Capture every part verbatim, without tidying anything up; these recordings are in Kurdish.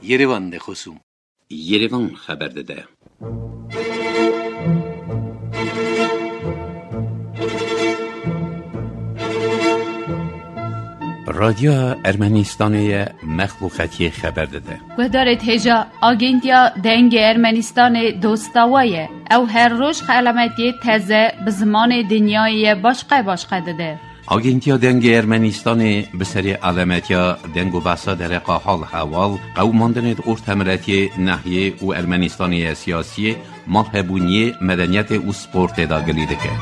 Yerevan de xosûm. Yerevan xeber dide. Radyoya Ermenistanê ye, mexluqetiyê xeber dide. Guhdarêt hêja, Agentiya Dengê Ermenistanê dosta we ye. Ew her roj xelametiyê teze bi zimanê dinyayê ye başqe başqe dide. Agentiya Dengê Ermenistanê bi serê alametiya deng û behsa dereqa hal heval, qewimandinê di ortemiletiyê, nehiyê û Ermenistanê ye siyasiyê, malhebûniyê, medeniyetê û sportê de gilî dike.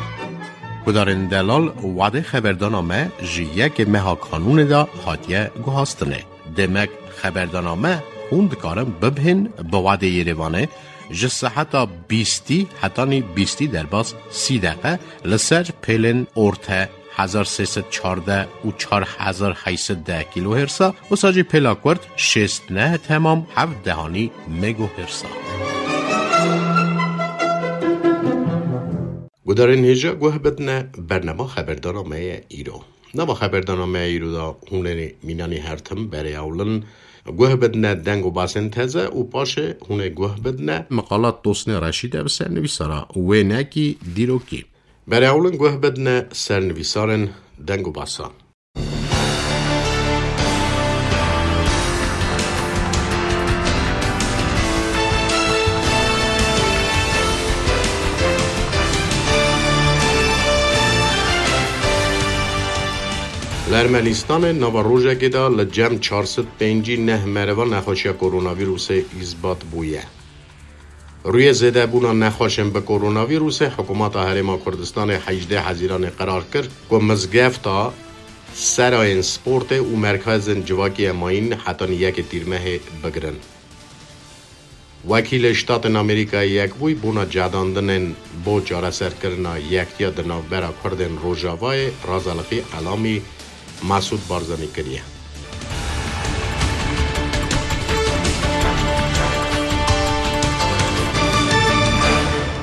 Gudarên delal, wadê xeberdana me ji yekê meha kanûnê de hatiye guhastinê. Demek xeberdana me hûn dikarin bibihên bi wadê Yerevanê ji seheta bîstî hetanî bîstî derbas sî deqe li ser pêlên orte hezar sê sed çardeh û çar hezar heyt sed deh kîlohêrsa, wisa jî pêla kurt şêst neh temam heft dehanî megohêrsa. Gudarên hêja guh bidine bernama xeberdana me ye îro. Nava xeberdana me îro de hûn ê mînanî her tim berê ewlin guh bidine deng û basên teze û paşê hûn ê guh bidine miqalat Tosnê Reşîd e bi sernivîsara wênekî dîrokî. Berê ewlin guh bidine sernivîsarên deng û basan. Li Ermenistanê nava rojekê de li cem çar sed pêncî neh meriva nexweşiya koronavîrusê îsbat bûye. Rûyê zêdebûna nexweşên bi koronavîrusê, hikûmeta Herêma Kurdistanê hejdê Hezîranê qerar kir ku mizgefta, serayên sportê û merkezên civakî ye mayîn hetanî yekê Tîrmehê bigirin. Wekîlê Ştatên Amerîkayê Yekbûyî bona cedandinên bo çareserkirina yektiya di navbera Kurdên Rojavayê Razalixî Elamî Mesûd Barzanî kiriye.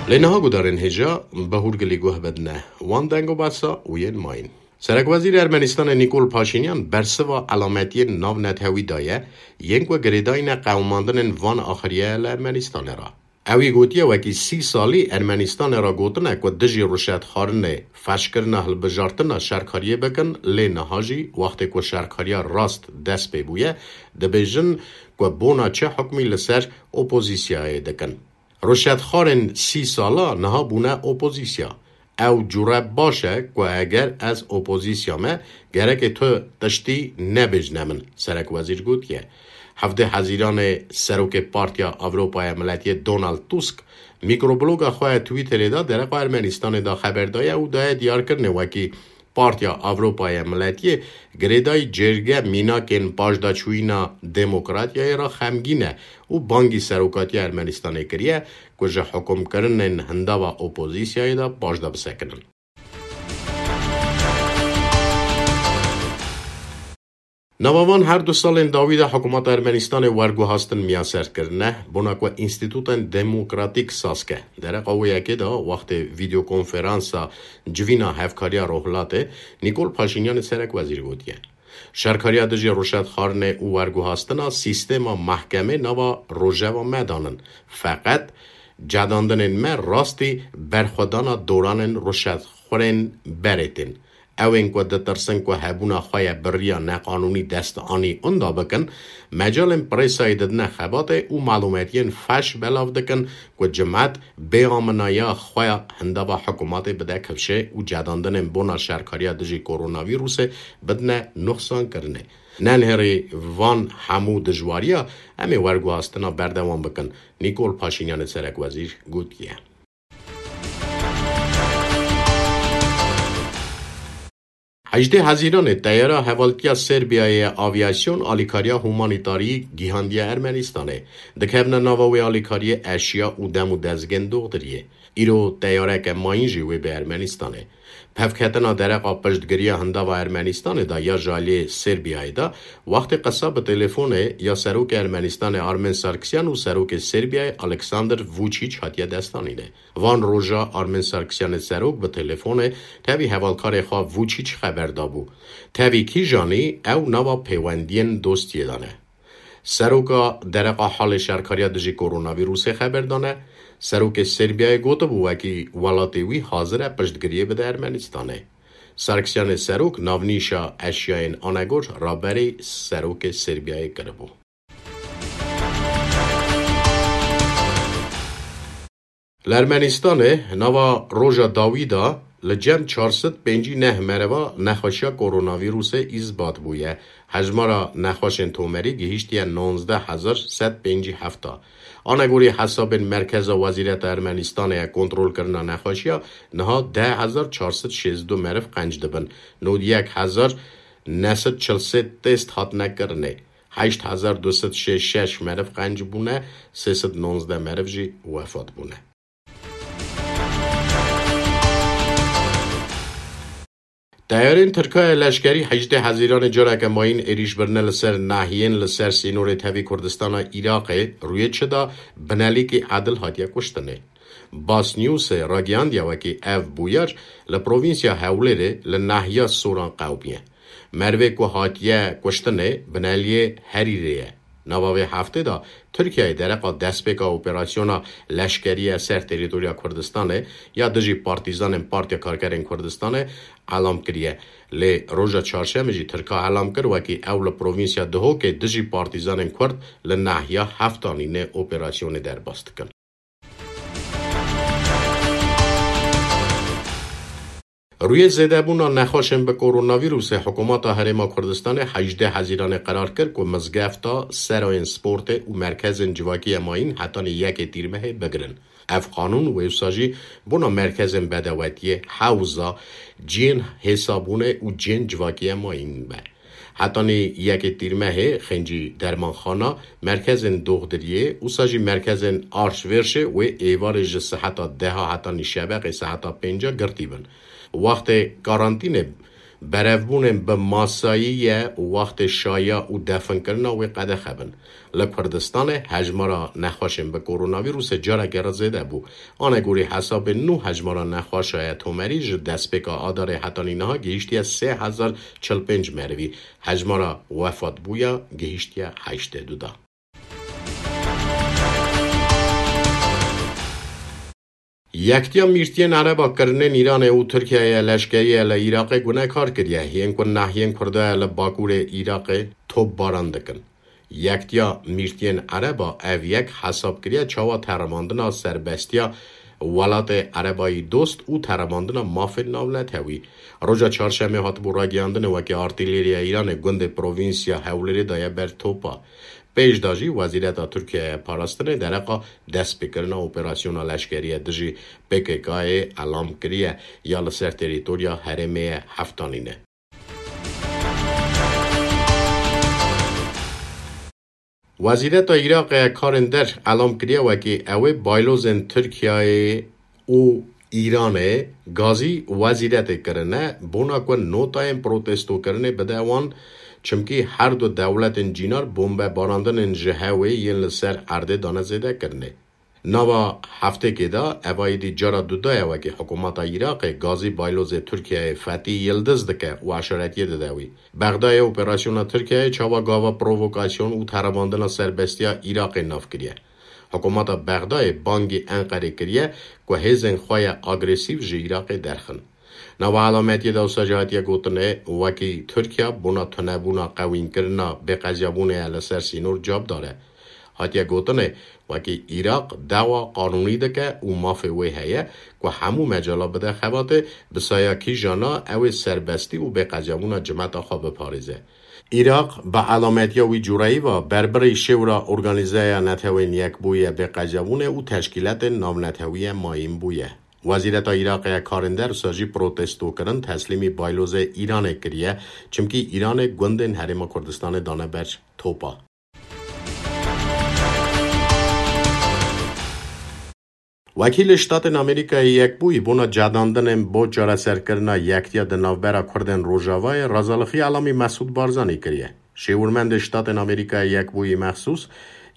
Lê niha gudarên hêja bi hûrgilî guh bidine wan deng û besa û yên mayîn. Serekwezîrê Ermenistanê Nîkol Paşînyan bersiva elametiyên navnetewî daye, yên ku girêdayî ne qewimandinên van axiriye li Ermenistanê re. Ewî gotiye, wekî sî salî Ermenistanê re gotine ku dijî ruşetxwarinê, feşkirina hilbijartina şerkariyê bikin, lê niha jî wextê ku şerkariya rast dest pê bûye, dibêjin ku bona çi hukmî li ser opozîsyayê dikin. Ruşetxwarên sî sala niha bûne opozîsya. Ew cure baş e ku eger ez opozîsya me, gerekê tu tiştî nebêjne min, Serekwezîr gotiye. Hevdê Hezîranê serokê Partiya Ewropaya Miletiyê Donald Tusk mikrobloga xwe ya Twitterê de dereqa Ermenistanê de xeber daye û daye diyarkirinê wekî Partiya Ewropaya Miletiyê girêdayî cêrge mînakên paşdaçûyîna demokratiyayê re xemgîn e û bangî serokatiya Ermenistanê kiriye ku ji hukumkirinên hindava opozîsyayê de paşda bisekinin. Nava van her du salên dawî de hikûmeta Ermenistanê werguhastin miyaser kirine, bona ku înstîtûtên demokratîk saz ke. Dereqa wê yekê de wextê vîdeokonferansa civîna Hevkariya Rojhilatê Nîkol Paşînyanê serekwezîr gotiye, şerkariya dijî ruşetxwarinê û werguhastina sîstema mehkemê nava rojeva me danin. Feqet cedandinên me rastî berxwedana doranên ruşetxwarên berê tên. Ew ên ku ditirsin ku hebûna xwe ya bi riya neqanûnî dest anî unda bikin, mecalên presayê didine xebatê û malûmetiyên feş belav dikin ku cimet bêaminaya xwe ya hindava hikûmatê bide kifşê û cedandinên bona şerkariya dijî koronavîrusê bidine nuxsankirinê. Nenihêrî van hemû dijwariya, em ê werguhastina berdewam bikin, Nîkol Paşînyanê serekwezîr gotiye. Hejdê Hezîranê teyara hevaltiya Serbiyayê ya aviyasyon alîkariya humanîtarî gihandiye Ermenistanê. Dikevne nava wê alîkariyê eşya û dem û dezgên doxtiriyê. Îro teyareke mayîn jî wê bê Ermenistanê. Pevketina dereqa piştgiriya hindava Ermenistanê de ya ji aliyê Serbiyayê de, wextê qisa bi telefonê ya serokê Ermenistanê Armen Sarkisyan û serokê Serbiyayê Alexander Vuçic hatiye destanînê. Van roja Armen Sarkisyanê serok bi telefonê tevî hevalkarê xwe Vuçic xeber dabû. Tevî kîjanî ew nava pêwendiyên dostiyê de ne. Seroka dereqa halê şerkariya dijî koronavîrusê xeber dane. Serokê Serbiyayê gotibû, wekî welatê wî hazir e piştgiriyê bide Ermenistanê. Sarkisyanê Serok navnîşa eşyayên anegor raberî Serokê Serbiyayê kiribû. Li Ermenistanê nava roja dawî de li cem çar sed pêncî neh mereva nexweşiya koronavîrusê îsbat bûye. Hejmara nexweşên tomerî gihîştiye nonzdeh hezar sed pêncî heft a. Anegorî hesabên Merkeza Wezîreta Ermenistanê ya kontrolkirina nexweşiya, niha deh hezar çar sed şêst û du meriv qenc dibin. Nod yek hezar neh sed çil sê test hatine kirinê. Heşt hezar du sed şêst şeş meriv qenc bûne, sê sed nonzdeh meriv jî wefat bûne. Teyarên Tirka ya leşkerî hejdeh Hezîranê careke mayîn êrîş birine li ser nahiyên li ser sînorê tevî Kurdistana Iraqê, rûyê çi da binelîkî edil hatiye kuştinê. Bas Newsê ragihandiye wekî ev bûyer li provînsya Hewlêrê li nahiya Soran qewimiye. Merivê ku hatiye kuştinê bineliyê Herîrê ye. Nava vê heftê de Tirkiyeyê dereqa destpêka operasyona leşkerî ya ser terîtorya Kurdistanê ya dijî partîzanên Partiya Karkerên Kurdistanê elam kiriye. Lê roja çarşemê jî Tirka elam kir, wekî ew li provînsya Duhokê dijî partîzanên Kurd li nahiya Heftanînê operasyonê derbas dikin. Rûyê zêdebûna nexweşên bi koronavîrusê, Hikûmeta Herêma Kurdistanê hejdeh Hezîranê qerar kir ku mizgefta, serayên sportê û merkezên civakî ya mayîn hetanî yekê Tîrmehê bigirin. Ev qanûn wê wisa jî bona merkezên bedewetiyê, hewza, cihên hêsabûnê û cihên civakî ya mayîn be. Hetanî yekê Tîrmehê xêncî dermanxana, merkezên doxdiriyê, wisa jî merkezên arşvêrşê wê êvarê ji seheta deha hetanî şeveqê seheta pênca girtî bin. Wextê karantînê berevbûnên bi masayî ye û wextê şaya û definkirina wê qedexe bin. Li Kurdistanê hejmara nexweşên bi koronavîrusê careke re zêde bû. Anegorî hesabên nû, hejmara nexweşa ye tomerî ji destpêka adarê hetanî niha gihîştiye sê hezar çil pênc merivî. Hejmara wefatbûya gihîştiye heştê du da. Yektiya Mîrtiyên Ereba kirinên Îranê û Tirkiyeyê leşkerî ye li Iraqê gunekar kiriye, yên ku nahiyên Kurda ye li bakurê Iraqê topbaran dikin. Yektiya Mîrtiyên Ereba ev yek hesab kiriye çawa teremandina serbestiya welatê Erebayî dost û teremandina mafên navnetewî. Roja çarşemê hatibû ragihandinê wekî artîleriya Îranê gundê provînsya Hewlêrê daye ber topa. Pêş de jî Wezîreta Tirkiyeyê ya Parastinê dereqa destpêkirina operasyona leşkerî ya dijî P K K'yê elam kiriye ya li ser terîtorya herêmê ye Heftanînê. Wezîreta Iraqê ya Karên Der elam kiriye wekî ew ê baylozên Tirkiyeyê û Îranê gazî wezîretê kirine, bona ku notayên protestokirinê bide wan, çimkî her du dewletên cînar bombebarandinên ji hewê yên li ser erdê dane zêdekirinê. Nava heftêkê de eva êdî cara duda ye wekî hikûmeta Iraqê gazî baylozê Tirkiyeyê Fetî Yildiz dike û eşaretiyê dide wî. Bexdayê operasyona Tirkiyeyê çawa gava provokasyon û teremandina serbestiya Iraqê nav kiriye. Hikûmeta Bexdayê bangî Enqerê kiriye ku hêzên xwe ya agresîf ji Iraqê derxin. Nava elametiyê de wisa jî hatiye gotinê, wekî Tirkiye bona tunebûna qewînkirina bêqeziyabûnê ya li ser sînor cavdar e. Hatiye gotinê, wekî Iraq dawa qanûnî dike û mafê wê heye ku hemû mecala bide xebatê, bi saya kîjana ew ê serbestî û bêqeziyabûna cimeta xwe biparêze. Iraq bi elametiya wî cureyî ve berbirî şêwra Organîzeya Netewên Yekbûyî ya Bêqeziyabûnê û teşkîletên navnetewî ye mayîn bûye. Wezîreta Iraqê ya Karên Der wisa jî protestokirin teslîmî baylozê Îranê kiriye, çimkî Îranê gundên Herêma Kurdistanê dane ber topa. Wekîlê Ştatên Amerîkayê Yekbûyî bona cedandinên bo çareserkirina yektiya di navbera Kurdên Rojavayê razalixî elamî Mesûd Barzanî kiriye. Şêwirmendê Ştatên Amerîkayê Yekbûyî mexsûs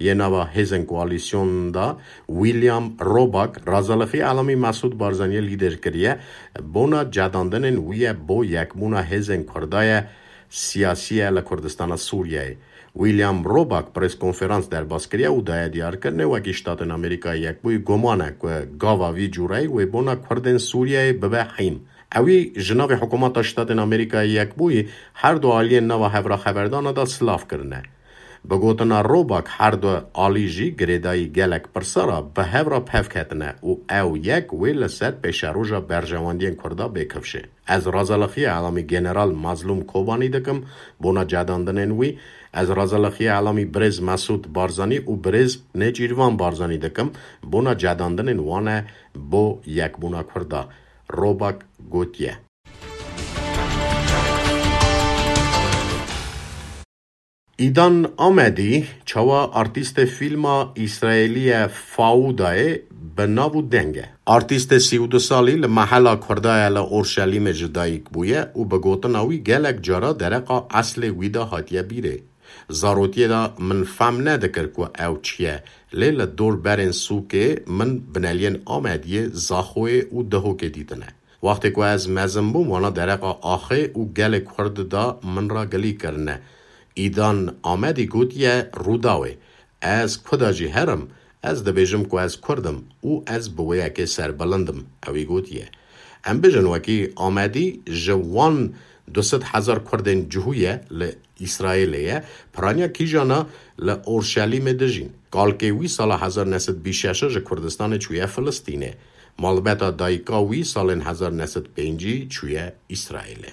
yê nava hêzên koalîsyon de William Roback razalixî elamî Mesûd Barzaniyê lîder kiriye, bona cedandinên wî ye bo yekbûna hêzên Kurda ye, siyasî ye li Kurdistana Sûriyeyê. William Roback preskonferans derbas kiriye û daye diyarkirinê, wekî Ştatên Amerîkayê Yekbûyî guman e ku gava vî cûreyî wê bona Kurdên Sûriyeyê bibe hîn. Ewî ji navê Hikûmeta Ştatên Amerîkayê Yekbûyî her du aliyên nava hevraxeverdana de silav kirine. Bi gotina Roback, her du alî jî girêdayî gelek pirsa re bi hev re pev ketine û ew yek wê li ser pêşeroja berjewendiyên Kurda bê kifşê. Ez razalixiya elamî General Mazlûm Kobanî dikim bona cedandinên wî. Ez razalixiya elamî birêz Mesûd Barzanî û birêz Nêçîrvan Barzanî dikim bona cedandinên wan e bo yekbûna Kurda, Roback gotiye. Îdan Amedî çawa artîstê fîlma Îsraêlî ye Faûdayê bi nav û deng e. Artîstê sî û du salî li mehela Kurda ye li Orşelîmê ji dayik bûye û bi gotina wî gelek cara dereqa eslê wî de hatiye bîrê. Zarotiyê de min fehm nedikir ku ew çi ye, lê li dor berên sûkê min bineliyên Amediyê, Zaxoyê û Dihokê dîtine. Wextê ku ez mezin bûm, wana dereqa axê û gelê Kurd da min re gilî kirine. Îdan Amedî gotiye Rûdawê, ez ku de jî herim, ez dibêjim ku ez Kurd im û ez bi wê yekê serbilind im, ewî gotiye. Em bijin wekî Amedî ji wan du sed hezar Kurdên cihû ye li Îsraêlê ye, piraniya kîjana li Orşelîmê dijîn. Kalkê wî sala hezar neh sed bîst şeş ji Kurdistanê çûye Filistînê. Malbeta dayika wî salên hezar neh sed pêncî çûye Îsraêlê.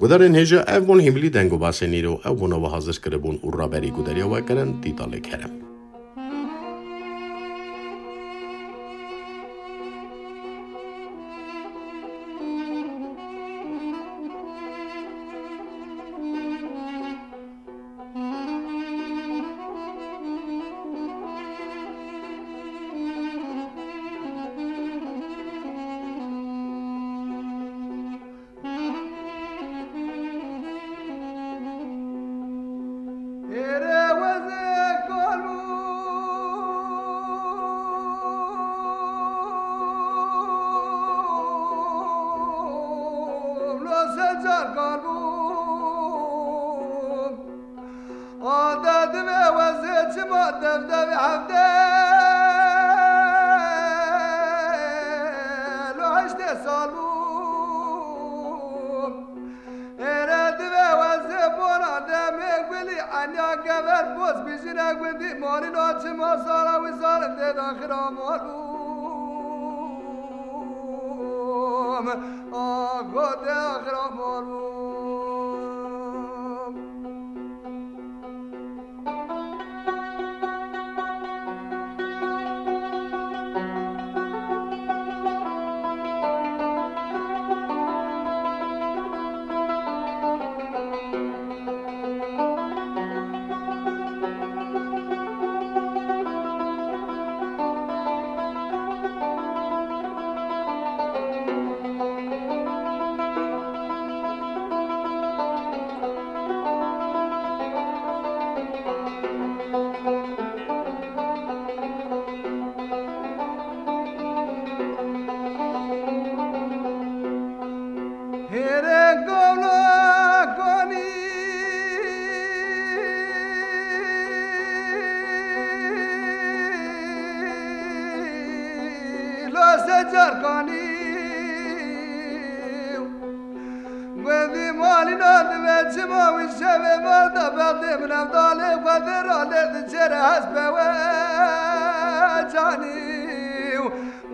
Gudarên hêja, ev bûn hîmilî deng û basên îro, ew bûna we hazir kiribûn û raberî gudariya we kirin Tîtalê Kerem. Ade divê wezê çima dev devê hevdê lo heştê sal bû. Êre divê wezê bona demê gulî enya gever boz bijine gundî malîna çima sala wî salin dê daxira mal bû. Ago dê daxira mal bû. Hêrê gavla kanî lo secar kanî. Gundî malîna divê çima wî şevê mal da bextê min evdalê xwe dê ralê diçêre hespe we canî.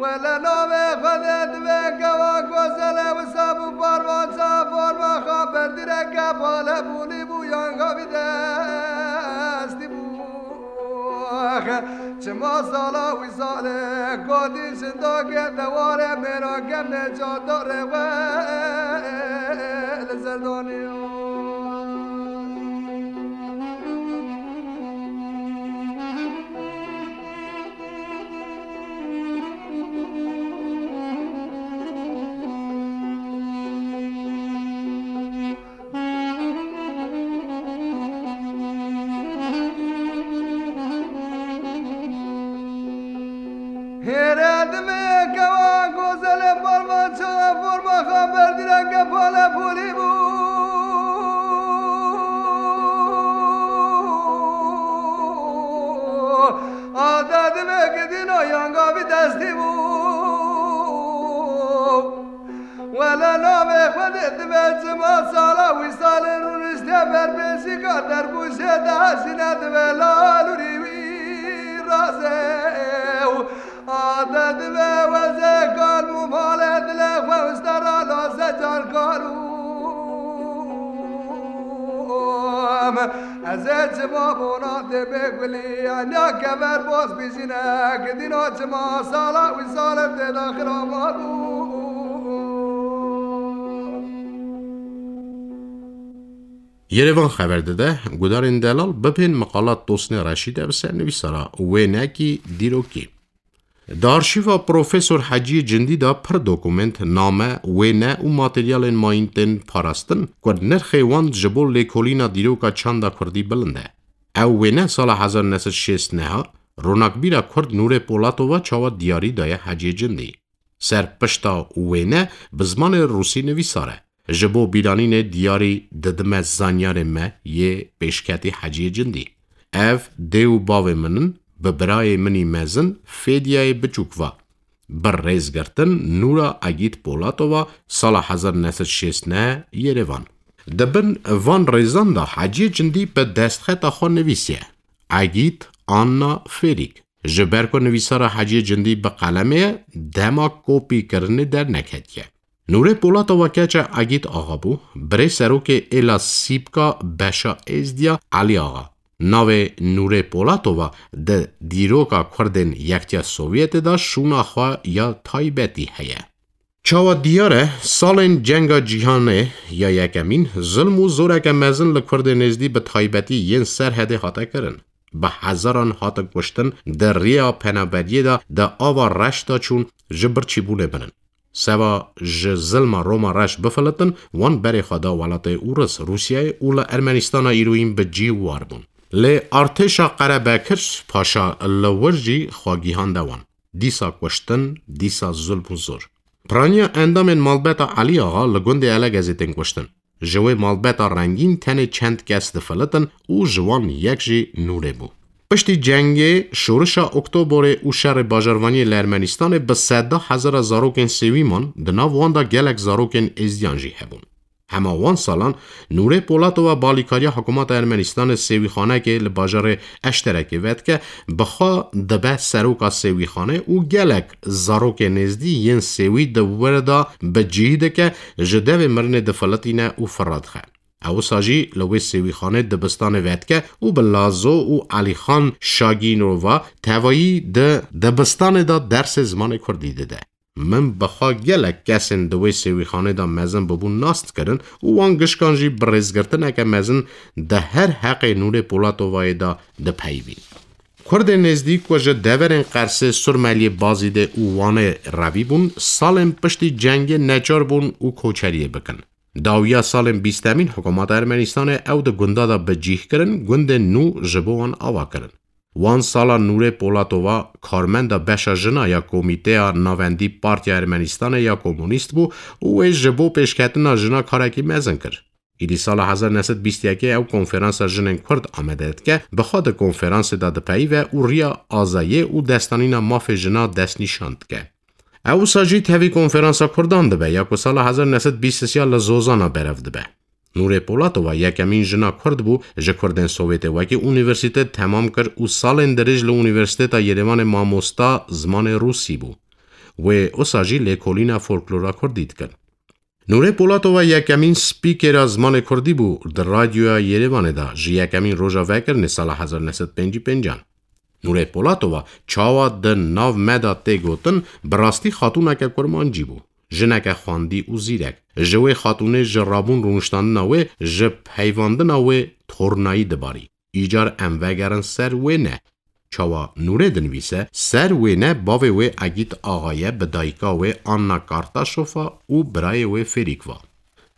Wele navê Xwedê divê kewa gozele wisa bû parvanca forma xwe berdire ke pale bûlî bû yan xavî destî bû. Çima sala wî salê gotî şindakê deware mêra kemne çadarê we li ser danî. Hêre divê kewa gozelê barmanço Xwedê dibe çima sala wî salê rûniştiye ber pêşîka derbûşê de jî nedibe lal û rî wî razê û ade dibe wezê kalm û malê dilê xwe û stera lase can kar û ez ê çima bona tê bê gulî enya kever boz bijîne ki dîna çima sala wî salê tê de xirama bû. Yerevan xeber dide, gudarên delal bibên miqalat Tosnê Reşîd e bi ser nivîsara wênekî dîrokî. Di arşîva Profesor Heciyê Cindî de pir dokument, name, wêne û materyalên mayîn tên parastin ku nirxê wan ji bo lêkolîna dîroka çanda kurdî bilind e. Ew wêne sala hezar neh sed şêst neha ronakbîra kurd Nûrê Polatova çawa diyarî daye Heciyê Cindî. Ser pişta wêne bi zimanê rûsî nivîsar e. Ji bo bîranînê diyarî didime zanyarê me yê pêşketî Heciyê Cindî. Ev dê û bavê min in, bi birayê min î mezin Fêdiyayê biçûk va. Bi rêzgirtin Nûra Egît Polatova sala hezar neh sed şêst neh Yerevan. Di bin van rêzan de Heciyê Cindî bi destxeta xwe nivîsiye. Egît Anna Fêrîk. Ji ber ku nivîsara Heciyê Cindî bi qelemê ye, dema kopîkirinê derneketiye. Nûrê Polatova keça Egît Axa bû, birê serokê êla Sîpka Beşa Êzdiya Elî Axa. Navê Nûrê Polatova di dîroka Kurdên Yektiya Sovyetê de şûna xwe ya taybetî heye. Çawa diyar e, salên Cenga Cîhanê ya Yekemîn zilm û zoreke mezin li Kurdên Êzdî bi taybetî yên Serhedê hate kirin. Bi hezaran hatin kuştin, di riya penaberiyê de di ava reş de çûn ji birçîbûnê birin. Seba ji zilma Roma reş bifilitin, wan berê xwe da welatê Ûris, Rûsyayê û li Ermenistana îroyîn bi cî war bûn. Lê artêşa Qerebekir Paşa li wir jî xwe gihande wan. Dîsa kuştin, dîsa zulm û zor. Piraniya endamên malbeta Elî Axa li gundê Elegezê tên kuştin. Ji wê malbeta rengîn tenê çend kes difilitin û ji wan yek jî Nûrê bû. Piştî cengê, şorişa Oktoborê û şerê bajarvaniyê li Ermenistanê bi seda hezara zarokên sêwî man, di nav wan de gelek zarokên êzdiyan jî hebûn. Hema wan salan Nûrê Polatova balîkariya hikûmeta Ermenistanê sêwîxanekê li bajarê Eşterekê vedike, bi xwe dibe seroka sêwîxanê û gelek zarokên êzdî yên sêwî di wir de bi cihî dike, ji devê mirinê difilitîne û firra dixe. Ew wisa jî li wê sêwîxanê dibistanê vedike û bi Lazo û Elîxan Şagînova tevayî di dibistanê de dersê zimanê kurdî dide. Min bi xwe gelek kesên di wê sêwîxanê de mezin bibûn nas dikirin û wan gişkan jî bi rêzgirtineke mezin di her heqê Nûrê Polatovayê de dipeyivîn. Kurdên êzdî ku ji deverên Qersê, Surmeliyê, Bazîdê û Wanê revî bûn, salên piştî cengê neçar bûn û koçeriyê bikin. Dawiya salên bîstemîn hikûmeta Ermenistanê ew di gunda de bi cîh kirin, gundên nû ji bo wan ava kirin. Wan sala Nûrê Polatova, karmenda beşa jina ya Komîteya Navendî Partiya Ermenistanê ya Komunîst bû û wê ji bo pêşketina jina karekî mezin kir. Îdî sala hezar neh sed bîst yekê ew konferansa jinên Kurd amade dike, bi xwe di konferansê de dipeyive û riya azayê û destanîna mafê jina destnîşan dike. Ew wisa jî tevî konferansa Kurdan dibe ya ku sala hezar neh sed bîst sê li Zozana berev dibe. Nûrê Polatova yekemîn jina Kurd bû ji Kurdên Sovyetê wekî unîversîte temam kir û salên dirêj li Unîversîteta Yerêvanê mamosta zimanê Rûsî bû. Wê wisa jî lêkolîna folklora Kurdî dikir. Nûrê Polatova yekemîn spîkera zimanê Kurdî bû di radyoya Yerêvanê de ji yekemîn roja vekirinê sala hezar neh sed pêncî pêncan. Nûrê Polatova çawa di nav me de tê gotin, bi rastî xatûneke kurmancî bû. Jineke xwendî û zîrek. Ji wê xatûnê ji rabûn rûniştandina wê, ji peyvandina wê tornayî dibarî. Îcar em vegerin ser wêne. Çawa Nûrê dinivîse, ser wêne bavê wê Egît Axa ye, bi dayika wê Anna Kartaşofa û birayê wê Fêrîk va.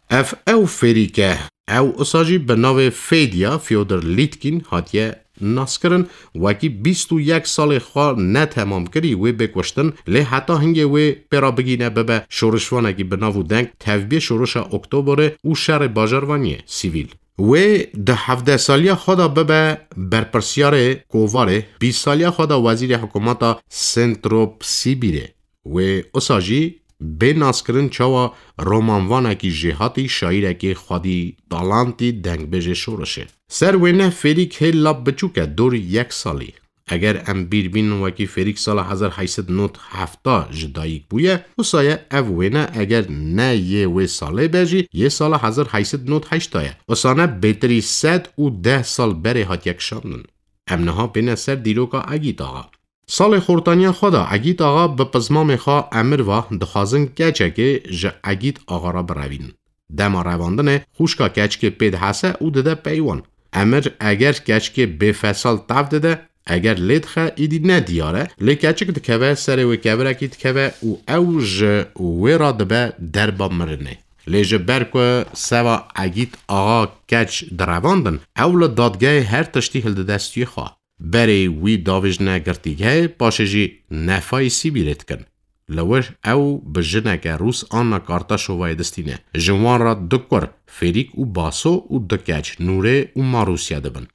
Ev ew Fêrîk e. Ew usa jî bi navê Fêdiya Fyodor Lîtkîn hatiye naskirin. Wekî bîst û yek salê xwe netemamkirî wê bê kuştin, lê heta hingê wê pê re bigîne bibe şorişvanekî bi nav û deng, tevbiyê şorişa Oktoberê û şerê bajarvaniyê sivîl. Wê di hevdeh saliya xwe de bibe berpirsiyarê kovarê, bîst saliya xwe de wezîrê hikûmeta Sentrop Sibîrê. Wê usa jî bê naskirin çawa romanvanekî jêhatî, şaîrekî xwedî talantî, dengbêjê şorişê. Ser wêne Fêrîk hê lap biçûk e, dor yek salî. Eger em bîr bînin wekî Fêrîk sala hezar heyt sed nod hefta ji dayik bûye, wisa ye ev wêne eger ne yê wê salê be jî, yê sala hezar heyt sed nod heşta ye. Wisa ne bêtirî sed û deh sal berê hatiye kişandin. Em niha bêne ser dîroka Egît Axa. Salê xortaniya xwe de Egît Axa bi pizmamê xwe emir va, dixwazin keçekê ji Egît Axa re birevînin. Dema revandinê xwişka keçikê pê dihese û dide pey wan. Emir eger keçikê bêfesal tev dide, eger lê dixe, îdî ne diyar e, lê keçik dikeve, serê wê kevirekî dikeve û ew ji wê re dibe derba mirinê. Lê ji ber ku seva Egît Axa keç direvandin, ew li dadgehê her tiştî hildide stûyê xwe. Berê wî davêjine girtîgehê, paşê jî nefayê Sîbîrê dikin. Li wir ew bi jineke Rûs Anna Kartaşovayê distîne. Ji wan re du kur, Fêrîk û Baso û du keç, Nûrê û Marûsya dibin.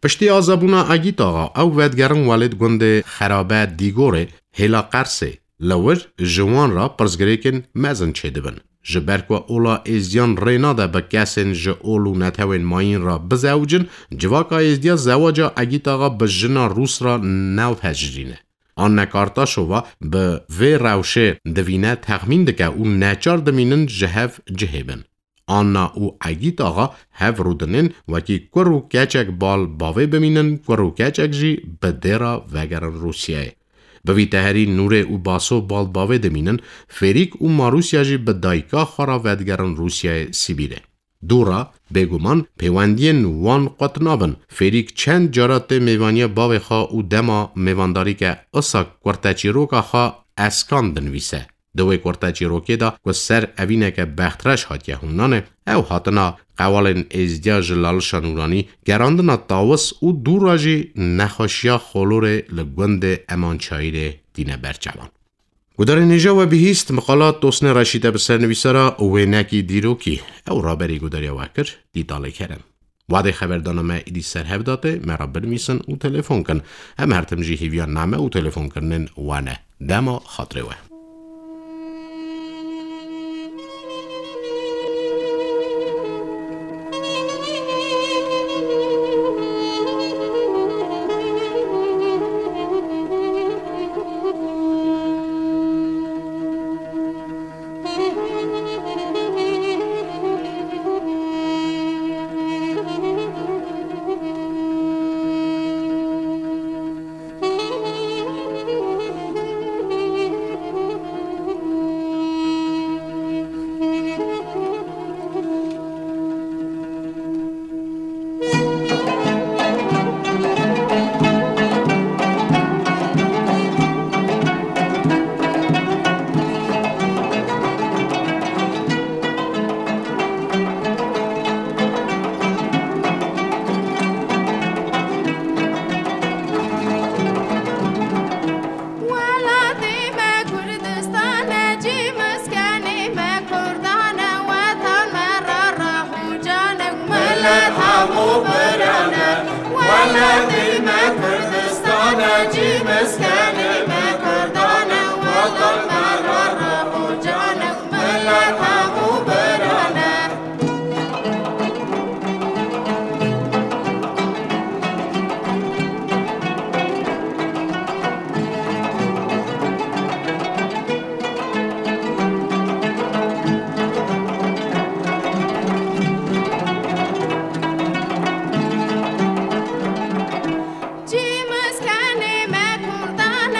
Piştî azabûna Egît Axa, ew vedigerin welêt gundê Xerabe Dîgorê, hêla Qersê. Li wir ji wan re pirsgirêkên mezin çêdibin. Ji ber ku ola êzdiyan rê nade bi kesên ji ol û netewên mayîn re bizewicin, civaka êzdiya zewaca Egît Axa bi jina Rûs re navhejirîne. Anne Kartaşova bi vê rewşê divîne, texmîn dike û neçar dimînin ji hev cihê bin. Anna û Egît Axa hev rûdinên wekî kur û keçek bal bavê bimînin, kur û keçek jî bi dê re vegerin Rûsyayê. Bi vî teherî Nûrê û Baso bal bavê dimînin, Fêrîk û Marûsya jî bi dayika xwe re vedigerin Rûsyayê Sîbîrê. Dû re, bêguman, pêwendiyên wan qut nabin. Fêrîk çend cara tê mêvaniya bavê xwe û dema mêvandarî ke, isa kurteçîroka xwe Eskan dinivîse. Di wê kurteçîrokê de ku ser evîneke bextreş hatiye hûnanê, ew hatina qewalên êzdiya ji Lalişa Nûranî, gerandina tawis û dû re jî nexweşiya Xolorê li gundê Emançayîrê tîne ber çavan. Gudarên hêja we bihîst, miqala Tosnê Reşîd e bi ser nivîsara û wênekî dîrokî. Ew raberî gudariya we kir, Dîtalê Kerem. Wadê xeberdana me êdî ser hev datê, me re binivîsin û telefon kin. Em her tim jî hêviya name û telefonkirinên we ne. Dema xatirê we. Welatê me Kurdistan e, cî miskenê me Kurdan e, wetan me ra rah û can e, milet hemû biran e. Welatê me Kurdistan e, cî miskenê me Kurdan e, wetan me ra rah û can e, milet hemû biran e. Cî miskenê me Kurdan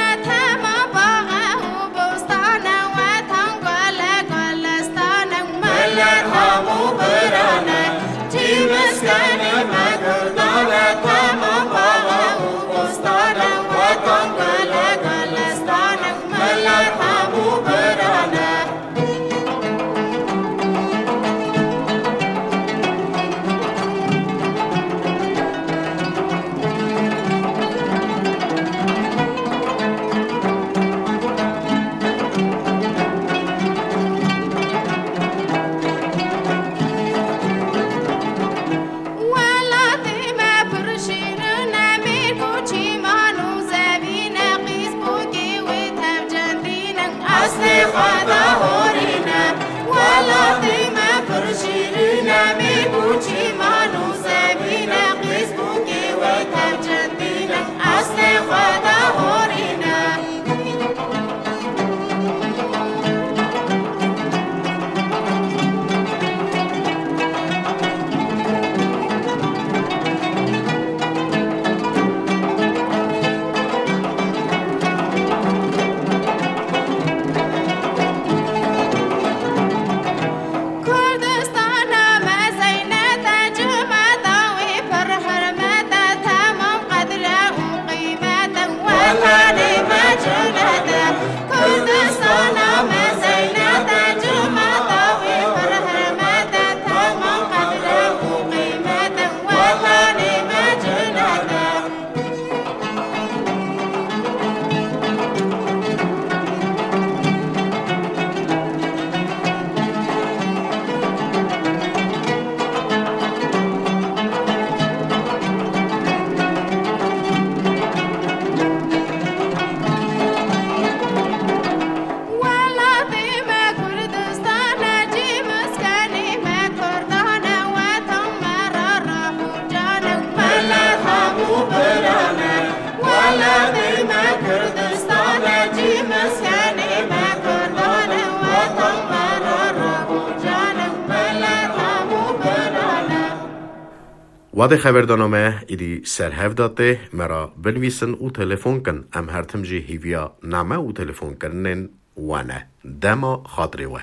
Wadê xeverdana me îdî ser hev de tê, me re binivîsin û telefon kin. Em her tim jî hîviya name û telefonkirinên we ne. Dema xatirê we.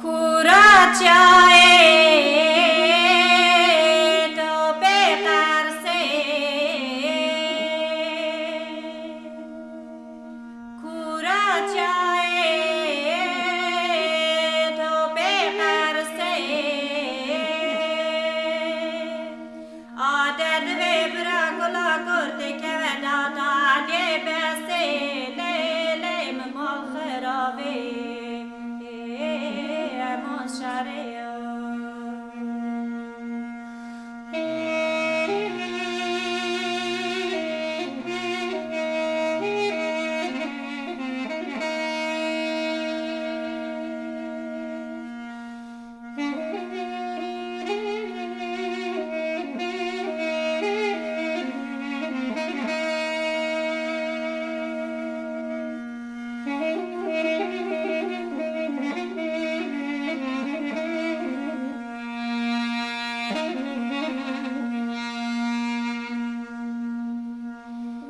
Kuraçayê topê qersê. Kuraçayê topê qersê. Ade divê bira kula kurtê keve dada lê besê lê lê min mal xirabê. Eman şerê ya.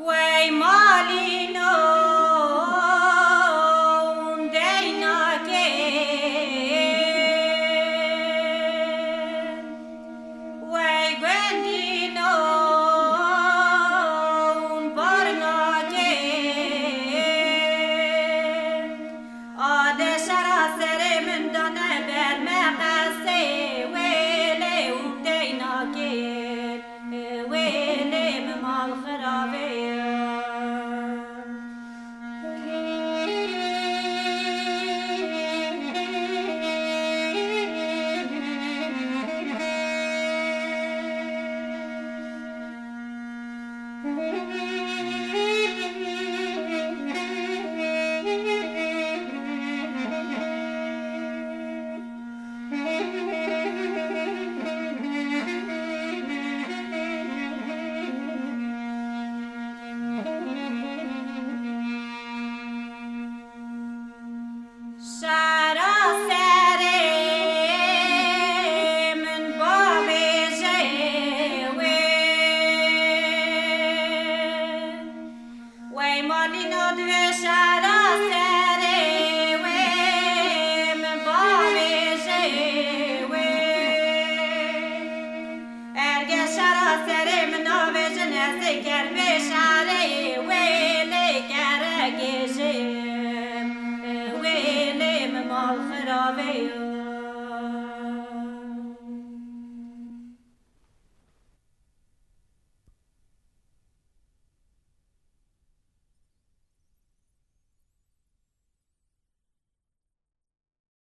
Wey malîno hûn dey nake. Wey gundîno hûn bar nake. Ade şera serê min dane ber me qesê wêlê hûn dey nake. Wêlê min mal xirabê ye. Şera serê min bavêje wê. Wey malîno divê şera serê wê, min bavêje wê. Erge şera serê min navêjin, ez ê kermê şera